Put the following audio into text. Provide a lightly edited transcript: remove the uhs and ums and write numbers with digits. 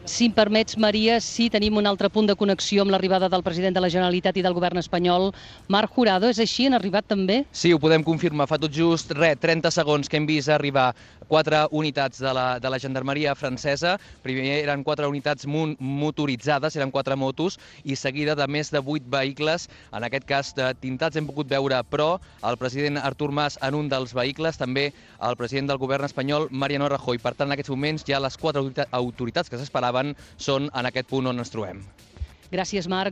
Si em permets, Maria, sí tenim un altre punt de connexió amb l'arribada del president de la Generalitat i del govern espanyol, Marc Jurado. És així? Han arribat també? Sí, ho podem confirmar. Fa tot just 30 segons que hem vist arribar 4 unitats de la gendarmeria francesa. Primer eren 4 unitats motoritzades, eren 4 motos, i seguida de més de 8 vehicles, en aquest cas tintats hem pogut veure, però el president Artur Mas en un dels vehicles, també el president del govern espanyol, Mariano Rajoy. Per tant, en aquests moments ja les 4 autoritats que s'esperaven són en aquest punt on ens trobem. Gràcies, Marc.